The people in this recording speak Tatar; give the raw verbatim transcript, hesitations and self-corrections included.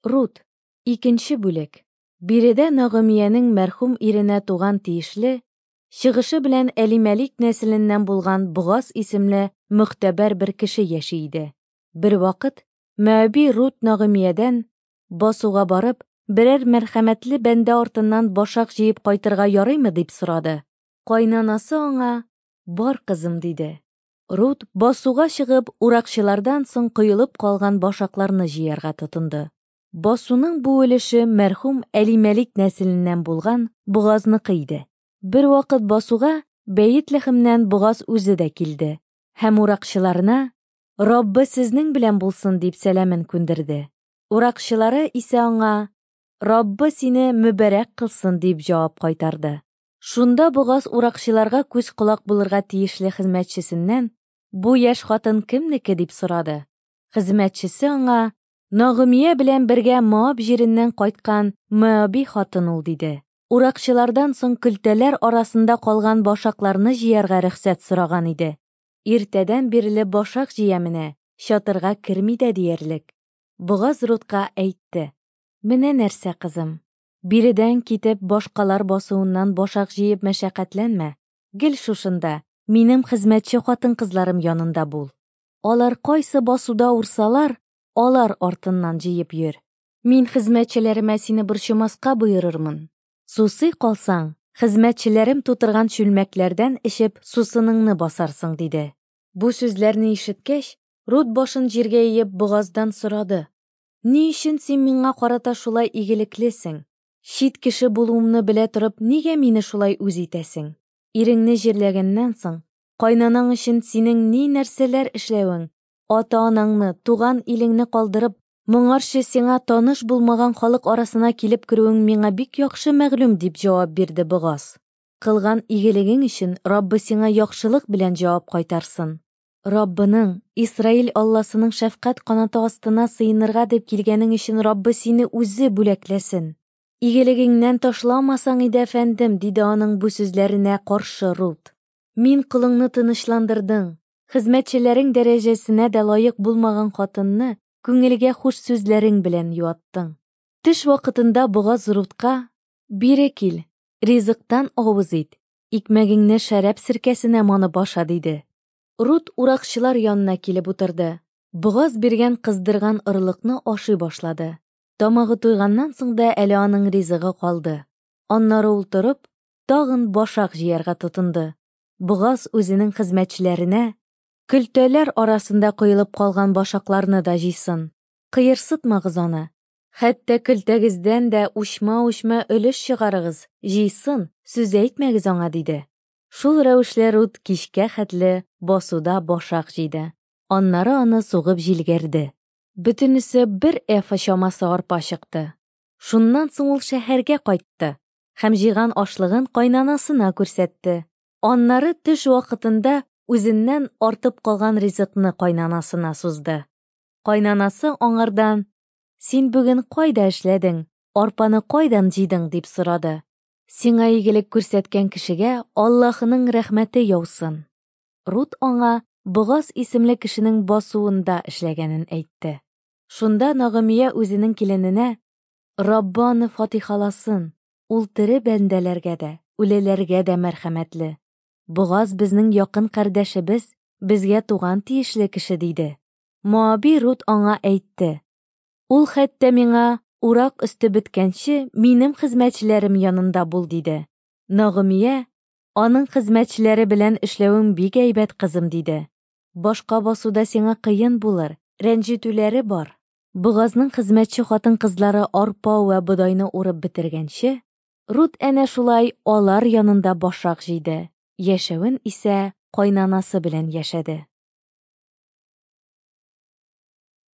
Рут, икенче бүлек. Биредә Нагымиянең мәрхүм иренә туган тиешле, чыгышы белән Әлимәлик нәселеннән булган Богаз исемле мөгътәбәр бер кеше яши иде. Бервакыт Мәөби Рут Нагымиядән, басуга барып, берәр мәрхәмәтле бәндә артыннан башак җыеп кайтырга ярыймы, дип сорады. Кайнанасы аңа: "Бар, кызым", диде. Рут, басуга чыгып, уракчылардан соң коелып калган башакларны җыярга тотынды. Басуның бу өлеше мәрхүм Әлимәлик нәселеннән булган Богазныкы иде. Бервакыт басуга Бәетлехемнән Богаз үзе дә килде һәм уракчыларына: "Раббы сезнең белән булсын", дип сәламен күндерде. Уракчылары исә аңа: "Раббы сине мөбарәк кылсын", дип җавап кайтарды. Шунда Богаз уракчыларга күз-колак булырга тиешле хезмәтчесеннән: "Бу яшь хатын кемнеке?" дип сорады. Хезмәтчесе аңа: "Нагымия белән бергә Моаб җиреннән кайткан Моаби хатын ул", диде. Уракчылардан соң көлтәләр арасында калган башакларны җыярга рөхсәт сораган иде. Иртәдән бирле башак җыя менә, чатырга керми дә диярлек. Богаз Рутка әйтте: "Менә нәрсә, кызым, биредән китеп башкалар басуыннан башак җыеп мәшәкатьләнмә. Гел шушында, минем хезмәтче хатын-кызларым янында бул. Алар кайсы басуда урсалар, алар артыннан җыеп йөр. Мин хезмәтчеләремә сине борчымаска боерырмын. Сусый калсаң, хезмәтчеләрем тутырган чүлмәкләрдән эчеп сусыныңны басарсың", диде. Бу сүзләрне ишеткәч, Рут башын җиргә иеп Богаздан сорады: "Ни өчен син миңа карата шулай игелеклесең? Чит кеше булуымны белә торып, нигә мине шулай үз итәсең? Иреңне җирләгәннән соң, кайнанаң өчен синең ни нәрсәләр эшләвең, ата-анаңны, туган илеңне калдырып, моңарчы сиңа таныш булмаган халык арасына килеп керүең миңа бик яхшы мәгълүм", дип җавап бирде Богаз. "Кылган игелегең өчен Раббы сиңа яхшылык белән җавап кайтарсын. Раббының, Исраил Алласының шәфкать канаты астына сыенырга дип килгәнең өчен Раббы сине үзе бүләкләсен. Игелегеңнән ташламасаң иде, әфәндем", диде аның бу сүзләренә каршы Рут. "Мин колыңны тынычландырдың, хезмәтчеләрең дәрәҗәсенә дә лаек булмаган хатынны күңелгә хуш сүзләрең белән юаттың". Төш вакытында Богаз Рутка: "Бире кил, ризыктан авыз ит, икмәгеңне шәраб серкәсенә манып аша", диде. Рут уракчылар янына килеп утырды. Богаз биргән кыздырган орлыкны ашый башлады. Тамагы туйганнан соң да әле аның ризыгы калды. Аннары ул торып, тагын башак җыярга тотынды. Богаз үзенең хезмәтчеләренә: "Көлтәләр арасында коелып калган башакларны да җыйсын. Кыерсытмагыз аны. Хәтта көлтәгездән дә учма-учма өлеш чыгарыгыз, җыйсын, сүз әйтмәгез аңа", диде. Шул рәвешле Рут кичкә хәтле басуда башак җыйды. Аннары аны сугып җилгәрде. Бөтенесе бер эфа чамасы арпа чыкты. Шуннан соң ул шәһәргә кайтты һәм җыйган ашлыгын кайнанасына күрсәтте. Аннары төш вакытында үзеннән артып калган ризыкны кайнанасына сузды. Кайнанасы аңардан: "Син бүген кайда эшләдең? Арпаны кайдан җыйдың?" дип сорады. "Сиңа игелек күрсәткән кешегә Аллаһының рәхмәте яусын". Рут аңа Богаз исемле кешенең басуында эшләгәнен әйтте. Шунда Нагымия үзенең килененә: "Раббы аны фатихаласын, ул тере бәндәләргә дә, үлеләргә дә мәрхәмәтле. Богаз безнең якын кардәшебез, безгә туган тиешле кеше", диде. Моаби Рут аңа әйтте: "Ул хәтта миңа урак өсте беткәнче минем хезмәтчеләрем янында бул", диде. Нагымия: "Аның хезмәтчеләре белән эшләвең бик әйбәт, кызым", диде. "Башка басуда сиңа кыен булыр, рәнҗетүләре бар". Богазның хезмәтче хатын-кызлары арпа вә бодайны урып бетергәнче, Рут әнә шулай алар янында башак җыйды. Яшәвен исә кайнанасы белән яшәде.